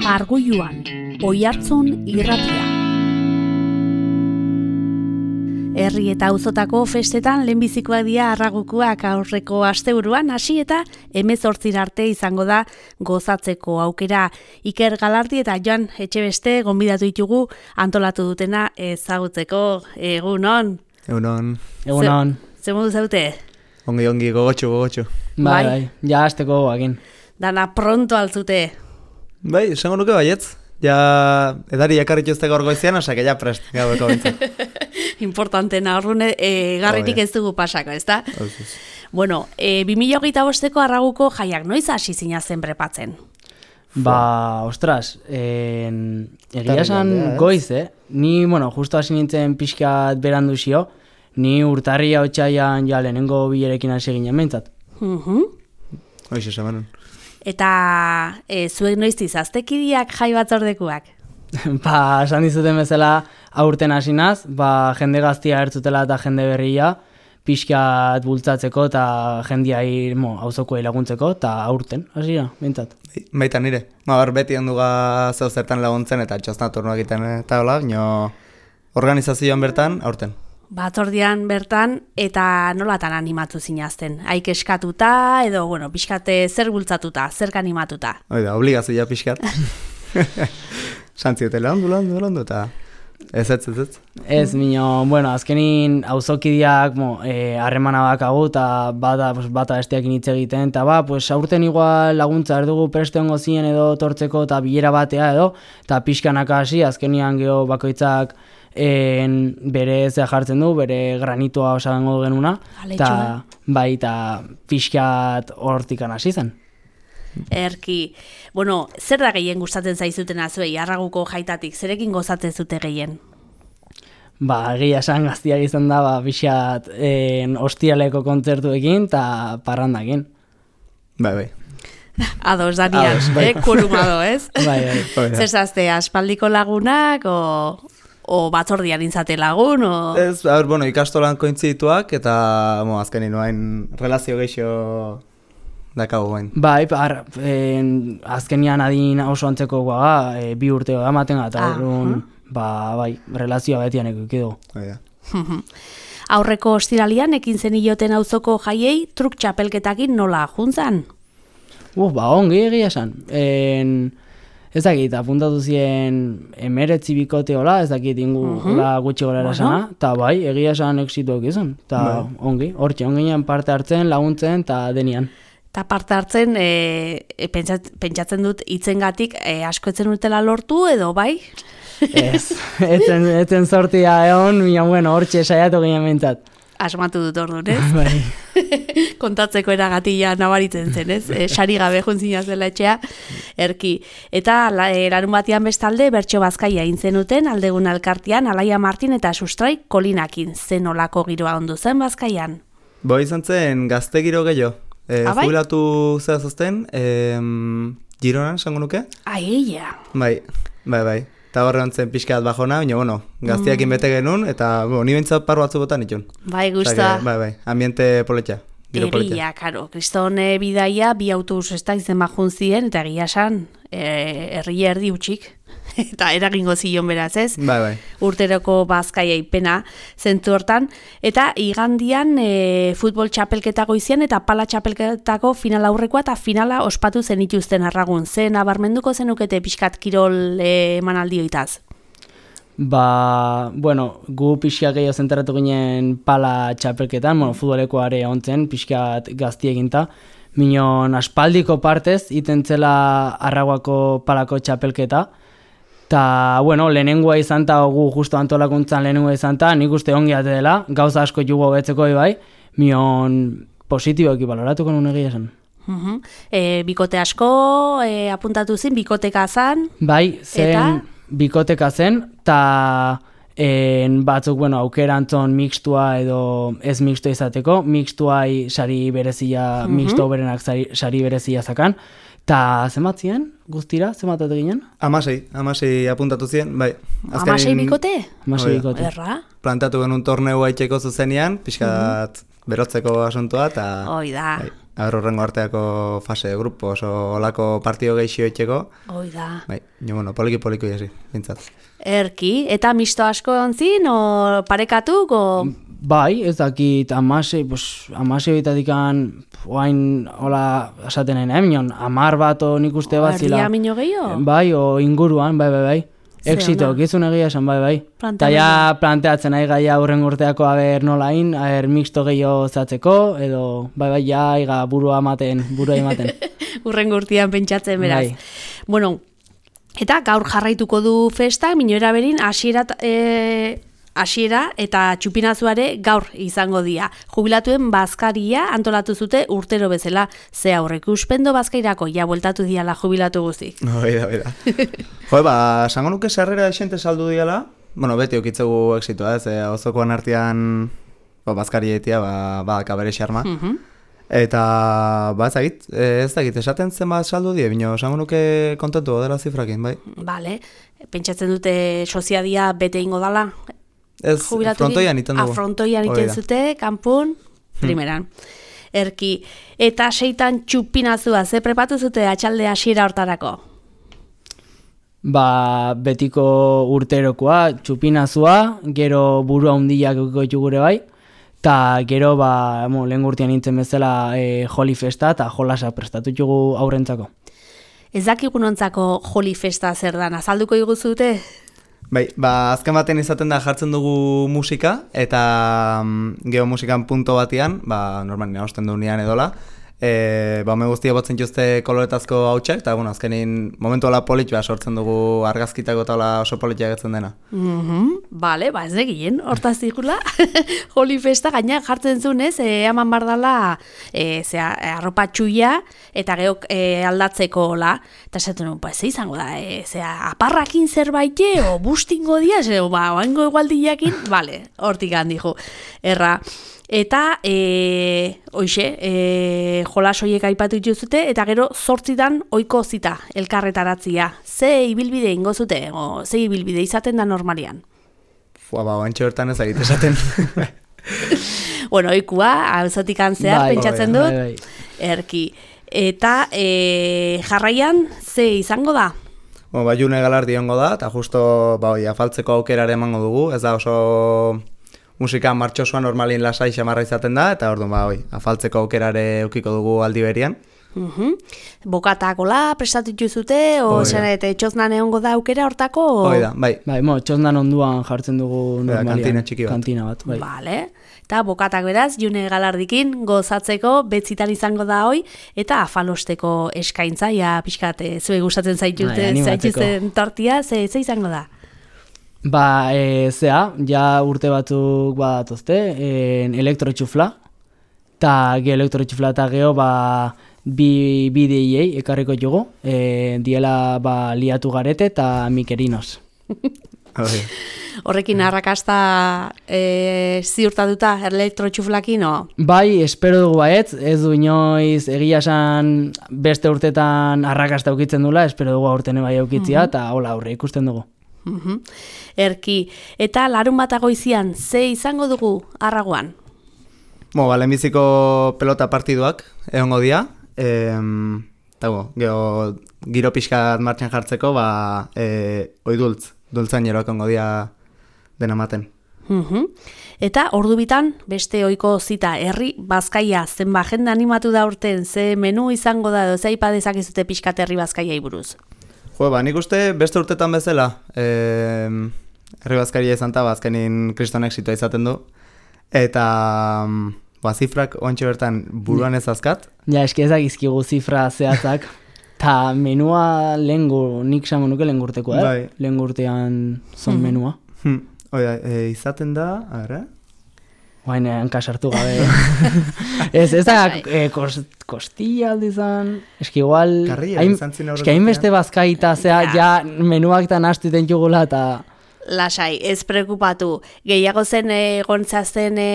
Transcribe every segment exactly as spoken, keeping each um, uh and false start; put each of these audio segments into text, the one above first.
Argoiluan, Oiartzun irratia. Herri eta auzotako festetan lehenbizikoak dira arragukuak aurreko asteburuan hasi eta hemezortzira arte izango da gozatzeko aukera. Iker Galardi eta Joan Etxebeste gonbidatu ditugu antolatu dutena ezagutzeko. Egunon. Egunon. Egunon. Ze modu zaute? Ongi, ongi, gogotxu, gogotxu. Bai, bai, ja hasteko goakin. Dana pronto altzute. Bai, esango nuke baietz. Ja, edari ekarritu ez gaur goizian, osak, ja prest, gaueko bintzen. Importantena, horrune, e, garritik ez dugu pasako, ez da? Bueno, e, bi mila hogeita bosteko arraguko jaiak noiz hasi zinazen prepatzen? Ba, ostras, en, egia esan goiz, eh? Ni, bueno, justo hasi nintzen pixkat berandu zio, ni urtarria otxaian ja lehenengo bilerekin hasi ginen mentzat. Uh-huh. Hoiz esan Eta e, zuek noiz izaztekidiak jai batzordekuak? Ba, esan dizuten bezala aurten hasinaz, ba, jende gaztia ertzutela eta jende berria, pixkat bultzatzeko eta jendia mo, auzokoei laguntzeko, eta aurten, hasi da, bintzat. Baita nire, ma bar beti handuga zeu zertan laguntzen eta txosna turnoa egiten eta hola, nio organizazioan bertan, aurten. Batzordian bertan, eta nolatan animatu zinazten? Haik eskatuta, edo, bueno, pixkate zer bultzatuta, zerk animatuta? Oida, obligazioa pixkat. Santziote landu, landu, landu, eta ez ez ez ez. Ez, mino, bueno, azkenin auzokideak harremana e, bakagu, eta bata, pues, bata besteakin hitz egiten, eta ba, pues, aurten igual laguntza erdugu preste hongo zien edo tortzeko, eta bilera batea edo, eta pixkanaka hasi, azkenian geho bakoitzak en, bere zea jartzen du, bere granitoa osagango genuna, eta bai, eta pixkat hortikan hasi zen. Erki, bueno, zer da gehien gustatzen zaizutena zuei, arraguko jaitatik, zerekin gozatzen zute gehien? Ba, egia esan gaztiak izan da, ba, pixat en, ostialeko kontzertuekin eta parrandakin. Bai, bai. Ados, Daniel, bai. eh, kurumado, ez? Bai, bai. Zer zazte, aspaldiko lagunak, o, o batzordian intzate lagun, o... Ez, a ber, bueno, ikastolan kointzituak, eta, mo, azkenin noain relazio geixo dakago bain. Bai, par, en, azkenian adin oso antzeko guaga, e, bi urteo da maten eta ah, orduan, ba, bai, relazioa betian ekikidu. Baina. Aurreko ostiralian ekin zenioten auzoko jaiei truk txapelketakin nola juntzan? Uf, ba, ongi egia esan. En, ez dakit, apuntatu ziren emeretzi bikote hola, ez dakit ingu uh-huh. hola gutxi gora erasana, eta bai, egia esan exituak izan. Eta ongi, hortxe, onginean parte hartzen, laguntzen, eta denian. Eta parte hartzen, e, e, pentsat, pentsatzen dut hitzengatik e, asko etzen urtela lortu edo bai? Ez, etzen, etzen sortia egon, mina bueno, hortxe saiatu ginen mentzat. Asmatu dut orduan, ez? Bai. Kontatzeko eragatia nabaritzen zen, ez? E, sari gabe juntzina zela etxea, erki. Eta la, e, larun batean bestalde bertso bazkaia intzenuten, aldegun alkartian, Alaia Martin eta Sustrai Kolinakin. Zen olako giroa ondu zen bazkaian? Bo izan zen gazte giro gehiago. E, ah, bai? Jubilatu zera zazten, e, Gironan, esango nuke? Aia. Bai, bai, bai. Eta horre hontzen pixkat bajona, baina, bueno, gaztiakin bete genuen, eta, bueno, ni bintzat paru batzu botan itun. Bai, gusta. Bai, bai, ambiente poletxa, giro poletxa. Eria, karo, kriston e, bidaia, bi autobus ez da izen bajun ziren, eta egia esan, e, herri erdi utxik. Eta eragingo zion beraz, ez? Bai, bai. Urteroko bazkaia ipena zentzu hortan. Eta igandian e, futbol txapelketako izien eta pala txapelketako final aurrekoa eta finala ospatu zenituzten arragun. Zen abarmenduko zenukete pixkat kirol e, emanaldioitaz? Ba, bueno, gu pixkat gehiago zentratu ginen pala txapelketan, bueno, futboleko are ontzen, pixkat gaztieginta. Minon aspaldiko partez, itentzela arraguako palako txapelketa. Ta, bueno, lehenengoa izan ta gu justo antolakuntzan lehenengoa izan ta, nik uste ongi ate dela, gauza asko jugo betzeko bai, mion positiboki baloratuko nun egia esan. Uh-huh. E, bikote asko e, apuntatu zin, bikoteka zan? Bai, zen eta? Bikoteka zen, ta en, batzuk, bueno, aukera antzon mixtua edo ez mixtua izateko, mixtuai sari berezia, uh-huh. mixto berenak sari, sari berezia zakan, ta zenbatzien? Guztira, zenbatatu ginen? Amasei, amasei apuntatu zien, bai. Azkenin, amasei bikote? Amasei bikote. Erra? Plantatu genuen torneu haitxeko zuzenean, pixkat mm-hmm. berotzeko asuntua, eta... Hoi da. Bai. Aber horrengo arteako fase de grupo, oso olako partido geixio etxeko. Hoi da. Bai, jo, bueno, poliki-poliki jasi, bintzat. Erki, eta misto asko ontzin, o parekatuk, o... Bai, ez dakit, amase, pues, amase bitatikan, oain, hola, esatenen, eh, minon, amar bat, o nik uste bat zila. Erdia minio gehiago? Bai, o inguruan, bai, bai, bai. Exito, gizun egia esan, bai, bai. Eta ja planteatzen nahi gaia hurren urteako aber nolain, aber mixto gehiago zatzeko, edo, bai, bai, ja, iga burua ematen, burua ematen. Hurren urtean pentsatzen, beraz. Bai. Bueno, eta gaur jarraituko du festa, minora berin, hasiera e, hasiera eta txupinazuare gaur izango dira. Jubilatuen bazkaria antolatu zute urtero bezala, ze aurrek uspendo bazkairako, ja bueltatu diala jubilatu guztik. Hoi da, hoi da. Jo, ba, sango nuke sarrera esente saldu diala, bueno, beti okitzegu exitoa, ez, eh, ozokoan artean ba, bazkarietia, ba, ba, kabere xarma. Mhm. Eta, ba, ez dakit, ez dakit, esaten zen bat saldu die, bino, sango nuke kontentu dela zifrakin, bai. Bale, pentsatzen dute soziadia bete ingo dala. Ez, frontoian iten dugu. Frontoian iten zute, kanpun, primeran. Erki, eta seitan txupinazua, ze prepatu zute atxalde hasiera hortarako? Ba, betiko urterokoa, txupinazua, gero burua hundiak eukiko gure bai, eta gero, ba, mo, lehen urtean nintzen bezala e, joli festa eta jolasa prestatu jugu aurrentzako. Ez dakigunontzako joli festa zer da, azalduko iguzute? Bai, ba, azken baten izaten da jartzen dugu musika, eta mm, geho musikan punto batian, ba, normalin hausten dugunean edola, e, ba, me guztia botzen jozte koloretazko hautsak, eta, bueno, azkenin momentu ala polit, ba, sortzen dugu argazkitako eta oso politia getzen dena. Mm-hmm. Bale, ba, ez egin, hortaz zikula, joli festa gaina jartzen zunez, e, eman bardala, e, zera, arropa txuia, eta geok e, aldatzeko hola, eta esaten nuen, ba, ez izango da, e, zera, aparrakin zerbait, o bustingo dia, zera, ba, oango egualdiakin, bale, hortik handi jo, erra. Eta, e, hoxe, e, jolasoiek aipatu dituzute, eta gero zortzitan oiko zita, elkarretaratzia. Ze ibilbide ingo zute, o ze ibilbide izaten da normalian? Fua, ba, oantxo hortan ez agit esaten. Bueno, oikua, hauzotik antzear, bai, pentsatzen bai, dut, bai, bai. erki. Eta e, jarraian, ze izango da? Bueno, ba, june galardi hongo da, eta justo, ba, oi, afaltzeko aukerare emango dugu, ez da oso... Musika martxosua normalin lasai xamarra izaten da, eta orduan ba, oi, afaltzeko aukerare eukiko dugu aldi berian. Uhum. Bokatakola, prestatu zute, o zen, eta txoznan egongo da aukera hortako? O... Hoi da, bai. Bai, mo, txoznan onduan jartzen dugu normalian. Kantina txiki bat. Kantina bat, bai. Vale. Eta bokatak beraz, june galardikin gozatzeko, betzitan izango da hoi, eta afalosteko eskaintza, ja, pixkat, zue gustatzen zaituzte, bai, zaituzten tortia, ze, ze izango da? Ba, e, zea, ja urte batzuk badatozte, e, elektrotxufla, eta ge elektrotxufla eta geho, ba, bi, bi D J ekarriko jugu, e, diela, ba, liatu garete eta mikerinos. Horrekin arrakasta e, ziurtatuta elektrotxuflakin, o? Bai, espero dugu baetz, ez du inoiz egia esan beste urtetan arrakasta ukitzen dula, espero dugu aurten bai ukitzia, eta hola aurre ikusten dugu. Uhum. Erki, eta larun bat agoizian, ze izango dugu arraguan? Mo, ba, lehenbiziko pelota partiduak egongo dira, em, eta go, geho, giro pixkat martxan jartzeko, ba, e, oi dultz, dultzen jeroak egongo dira dena maten. Uhum. Eta ordu bitan, beste ohiko zita, herri bazkaia, zenba jende animatu da urten, ze menu izango da, edo ze aipa dezakezute pixkat herri bazkaiai buruz? Jo, ba, nik uste beste urtetan bezala, eh, herri bazkaria izan eta azkenin kriston exitoa izaten du, eta ba, zifrak oantxe bertan buruan ez azkat. Ja, eski ezagizkigu zifra zehatzak, eta menua lehengu, nik samo nuke lehen urtekoa, eh? Bai. Lehen urtean zon menua. Hmm. Oida, e, izaten da, a ber, Oain, hanka sartu gabe. ez, ez da, e, kost, kostilla aldi zan, eski igual... Karria, izan zin aurrekotean. Eski hainbeste bazkaita, zea, ja, menuak eta nastu iten jugula, eta... Lasai, ez preokupatu. Gehiago zen egontzazten e,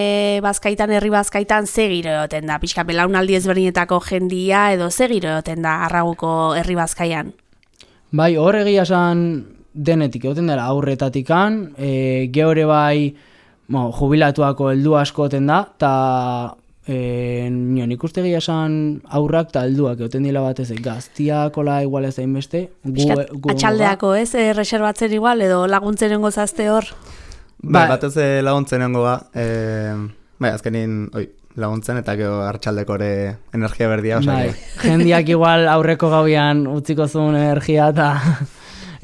bazkaitan, herri bazkaitan, ze giro egoten da? Pixka, belaunaldi ezberdinetako jendia, edo ze giro egoten da arraguko herri bazkaian? Bai, hor egia esan denetik egoten dela aurretatikan, e, geore bai... Mo, jubilatuako heldu asko oten da, eta E, nik uste gehiago esan aurrak eta helduak egoten dila batez, gaztiak ola igual ez hain beste. Atxaldeako ez, e, reservatzen igual, edo laguntzen nengo zazte hor? Ba, batez laguntzen nengo ga, e, bai, azkenin, oi, laguntzen eta gero hartxaldeko ere energia berdia. Bai, jendiak igual aurreko gauian utziko zuen energia eta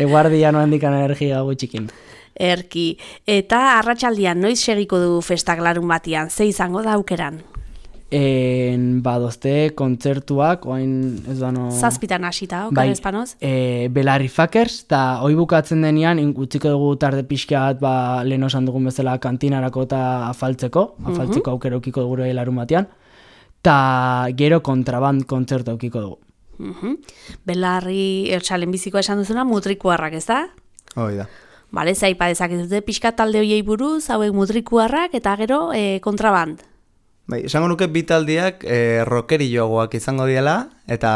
eguardia noen dikan energia gutxikin. Erki, eta arratsaldian noiz segiko du festak larun batian, ze izango da aukeran? En, badozte kontzertuak, oain ez dano... Zazpitan hasita, okan bai, espanoz? E, Belarri Fakers, eta hoi bukatzen denean, utziko dugu tarde pixkat, ba, lehen osan dugun bezala kantinarako eta afaltzeko, afaltzeko uh-huh. aukera ukiko dugu larun batean, eta gero kontraband kontzertu aukiko dugu. Uh-huh. Belarri, ertxalen bizikoa esan duzuna, mutrikuarrak, ez da? Hoi da. Bale, zaipa dezaketute pixkat talde hoiei buruz, hauek mutrikuarrak, eta gero e, kontraband. Bai, esango nuke bitaldiak e, rockeri joagoak izango diela, eta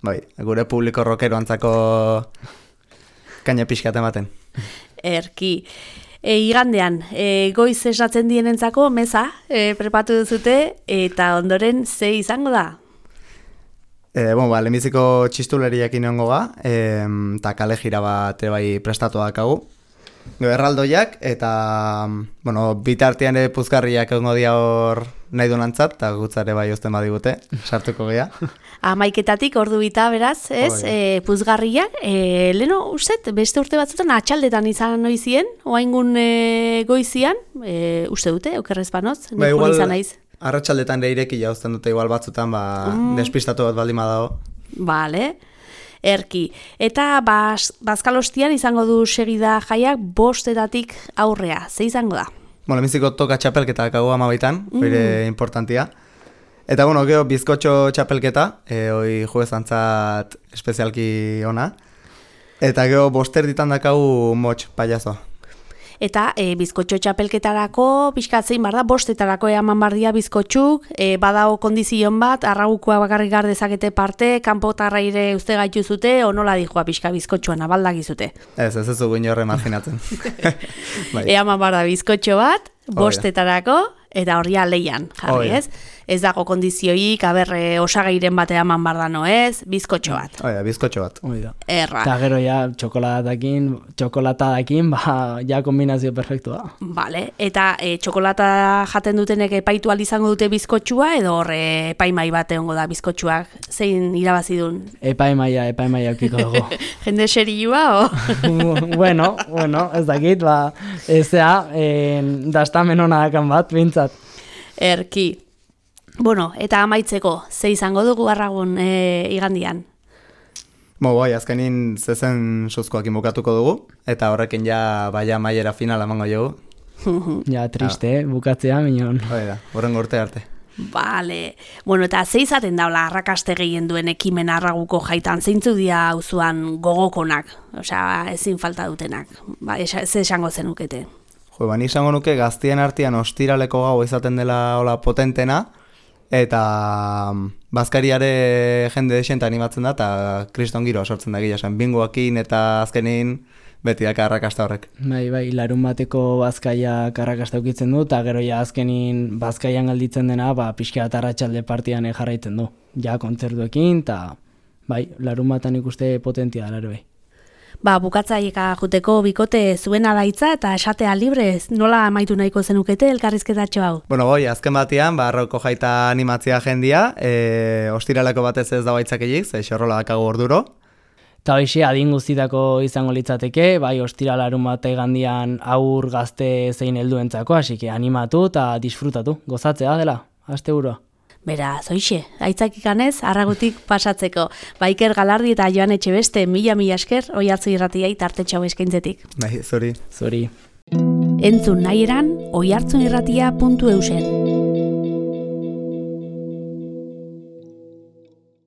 bai, gure publiko rockero antzako kaina pixkat ematen. Erki. E, igandean, e, goiz esatzen dienentzako meza e, prepatu duzute, eta ondoren ze izango da? E, bon, ba, lehenbiziko txistuleriak inongo ga, eta kale jira bat bai prestatu dakagu. Erraldoiak, eta bueno, bitartean ere puzkarriak egongo dia hor nahi dunantzat, eta gutzare bai osten badigute, sartuko gea. Amaiketatik ordu bita, beraz, ez, oh, e, puzgarriak, e, leno, ustet, beste urte batzutan atxaldetan izan noizien, oaingun e, goizian, e, uste dute, okerrezpanoz, ba, igual, izan naiz. Arratsaldetan ere ireki jauzten dute igual batzutan, ba, mm. despistatu bat baldin badago. Vale. Erki. Eta baz, bazkalostian izango du segida jaiak bostetatik aurrea. Ze izango da? Bueno, lehenbiziko toka txapelketa kagu amabaitan, mm. hori importantia. Eta, bueno, geho bizkotxo txapelketa, e, hoi juezantzat espezialki ona. Eta geho boster ditan dakagu motx payaso. Eta e, bizkotxo txapelketarako, pixkatzein bar da, bostetarako eman bardia bizkotxuk, e, badao kondizion bat, arragukoa bakarrik gar dezakete parte, kanpotarra ire uste gaitu zute, o nola dijoa pixka bizkotxoan abaldagizute. Ez, ez ez dugu inorre marginatzen. bai. Eman bar da bizkotxo bat, bostetarako, eta horria leian, jarri, ez? Ez dago kondizioik, aberre osagairen batea eman bardano, ez? Bizkotxo bat. Oida, bizkotxo bat. Oida. Erra. Eta gero ja, txokolatakin, txokolatadakin, ba, ja kombinazio perfektua. Vale, eta e, txokolata jaten dutenek epaitu izango dute bizkotxua, edo horre epaimai bat egongo da bizkotxuak, zein irabazi duen? Epaimaia, epaimaia aukiko dugu. Jende serioa, o? bueno, bueno, ez dakit, ba, ezea, eh, dastamen hona dakan bat, bintzat. Erki. Bueno, eta amaitzeko, ze izango dugu arragun e, igandian? Bo, bai, azkenin zezen suzkoak inbukatuko dugu, eta horrekin ja baia maiera finala emango jogu. ja, triste, ah. bukatzea, minon. Hoi da, horren urte arte. Vale. Bueno, eta ze izaten daula arrakaste gehien duen ekimen arraguko jaitan, zeintzu dia auzuan gogokonak, osea, ezin falta dutenak, ba, ze esango zenukete? Jo, ba, nik esango nuke gaztien artean ostiraleko gau izaten dela hola potentena, eta bazkariare jende desenta animatzen da, eta kriston giroa sortzen da gila, esan bingoakin eta azkenin beti daka arrakasta horrek. Bai, bai, larun bateko bazkaiak arrakasta ukitzen du, eta gero ja azkenin bazkaian galditzen dena, ba, pixka eta arratsalde partian jarraitzen du. Ja, kontzertuekin, eta bai, larun batan ikuste potentia da, bai. Ba, bukatzaieka juteko bikote zuena daitza eta esatea librez, nola amaitu nahiko zenukete elkarrizketatxo hau? Bueno, goi, azken batean, barroko jaita animatzia jendia, e, ostiraleko batez ez da baitzakeik, ze xorrola dakago orduro. Eta hoxe, adin guztitako izango litzateke, bai, ostiralarun bate gandian aur gazte zein helduentzako, hasi que animatu eta disfrutatu, gozatzea dela, aste burua. Beraz, hoxe, aitzakikanez, arragutik pasatzeko. Baiker Galardi eta Joan Etxebeste, mila-mila esker, Oiartzun irratiai tartetxo eskaintzetik. Bai, zuri. Zuri. Entzun nahi eran, oiartzunirratia puntu eusen.